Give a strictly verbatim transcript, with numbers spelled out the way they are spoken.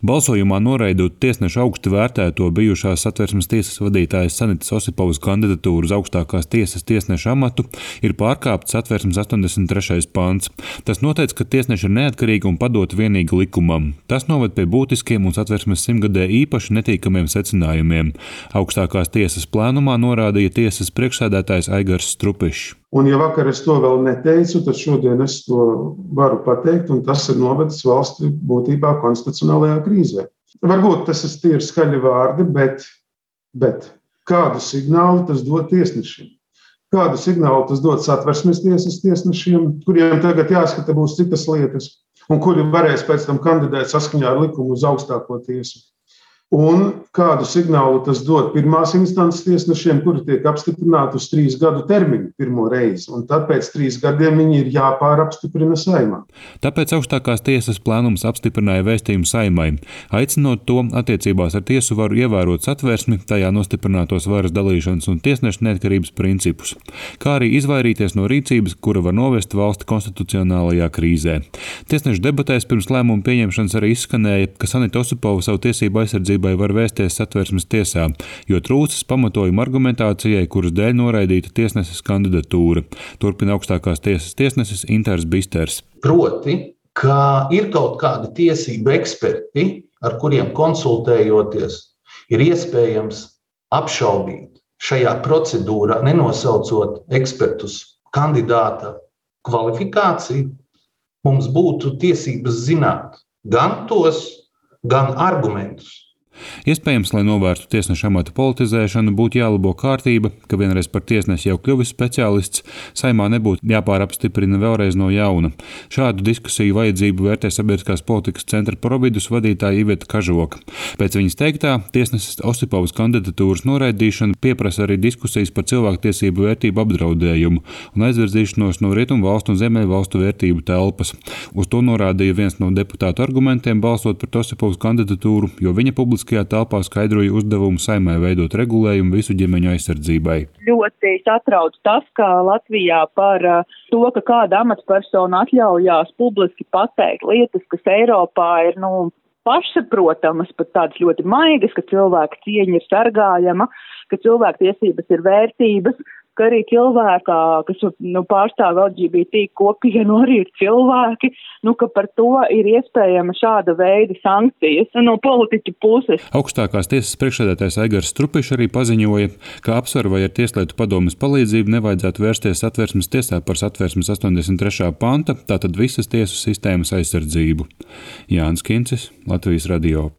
Balsojumā noraidot tiesneša augstu vērtēto bijušās Satversmes tiesas vadītājas Sanitas Osipovas kandidatūru uz augstākās tiesas tiesneša amatu ir pārkāpts Satversmes astoņdesmit trešais pants. Tas noteic, ka tiesneši ir neatkarīgi un padoti vienīgi likumam. Tas noved pie būtiskiem un Satversmes simtgadē īpaši netīkamiem secinājumiem. Augstākās tiesas plēnumā norādīja tiesas priekšsēdētājs Aigars Strupišs. Un ja vakar es to vēl neteicu, tad šodien es to varu pateikt, un tas ir novedis valsti būtībā konstitucionālajā krīzē. Varbūt tas ir tīri skaļi vārdi, bet, bet kādu signālu tas dod tiesnešiem? Kādu signālu tas dod Satversmes tiesas tiesnešiem, kuriem tagad jāskata būs citas lietas, un kuri varēs pēc tam kandidēt saskaņā ar likumu uz augstāko tiesu? Un kādu signālu tas dod pirmās instances tiesnešiem, kuri tiek apstiprināti uz trīs gadu termiņu pirmo reizi, un tad pēc trīs gadiem viņi ir jāpārapstiprina Saeimā. Tāpēc augstākās tiesas plēnums apstiprināja vēstījumu Saeimai, aicinot to attiecībās ar tiesu varu ievērot Satversmi, tajā nostiprinātos varas dalīšanas un tiesneša neatkarības principus, kā arī izvairīties no rīcības, kura var novest valsti konstitucionālajā krīzē. Tiesneša debatēs pirms lēmuma pieņemšanas arī izskanēja, ka Sanita Osipova savu tiesību aizsardzību var vērsties Satversmes tiesā, jo trūcis pamatojuma argumentācijai, kuras dēļ noraidīta tiesneses kandidatūra. Turpina augstākās tiesas tiesnesis Inters Bisters. Proti, ka ir kaut kādi tiesību eksperti, ar kuriem konsultējoties, ir iespējams apšaubīt šajā procedūrā, nenosaucot ekspertus kandidāta kvalifikāciju, mums būtu tiesības zināt gan tos, gan argumentus. Iespējams, lai novērstu tiesneša amata politizēšanu, būtu jālabo kārtība, ka vienreiz par tiesnesi jau kļuvis speciālists, Saeimā nebūtu jāpārapstiprina vēlreiz no jauna. Šādu diskusiju vajadzību vērtē Sabiedriskās politikas centra Providus vadītāja Iveta Kažoka. Pēc viņas teiktā, tiesneses Osipovas kandidatūras noraidīšana pieprasa arī diskusijas par cilvēktiesību vērtību apdraudējumu un aizvirzīšanos no rietumu valstu un ziemeļu valstu vērtību telpas. Uz to norādīja viens no deputātu argumentiem balsot par Osipovas kandidatūru, jo viņa publiski telpā skaidroja uzdevumu Saeimai veidot regulējumu visu ģimeņu aizsardzībai. Ļoti satrauc tas, ka Latvijā par to, ka kāda amatpersona atļaujās publiski pateikt lietas, kas Eiropā ir, nu, pašsaprotamas, pat tādas ļoti maigas, ka cilvēka cieņa ir sargājama, ka cilvēktiesības ir vērtības, ka arī cilvēkā, kas nu, pārstāv L G B T kopienu, arī ir cilvēki, nu, ka par to ir iespējama šāda veida sankcijas no politiķu puses. Augstākās tiesas priekšsēdētājs Aigars Strupišs arī paziņoja, ka apsver vai ar Tieslietu padomes palīdzību nevajadzētu vērsties Satversmes tiesā par Satversmes astoņdesmit trešā panta, tātad visas tiesu sistēmas aizsardzību. Jānis Kincis, Latvijas radio.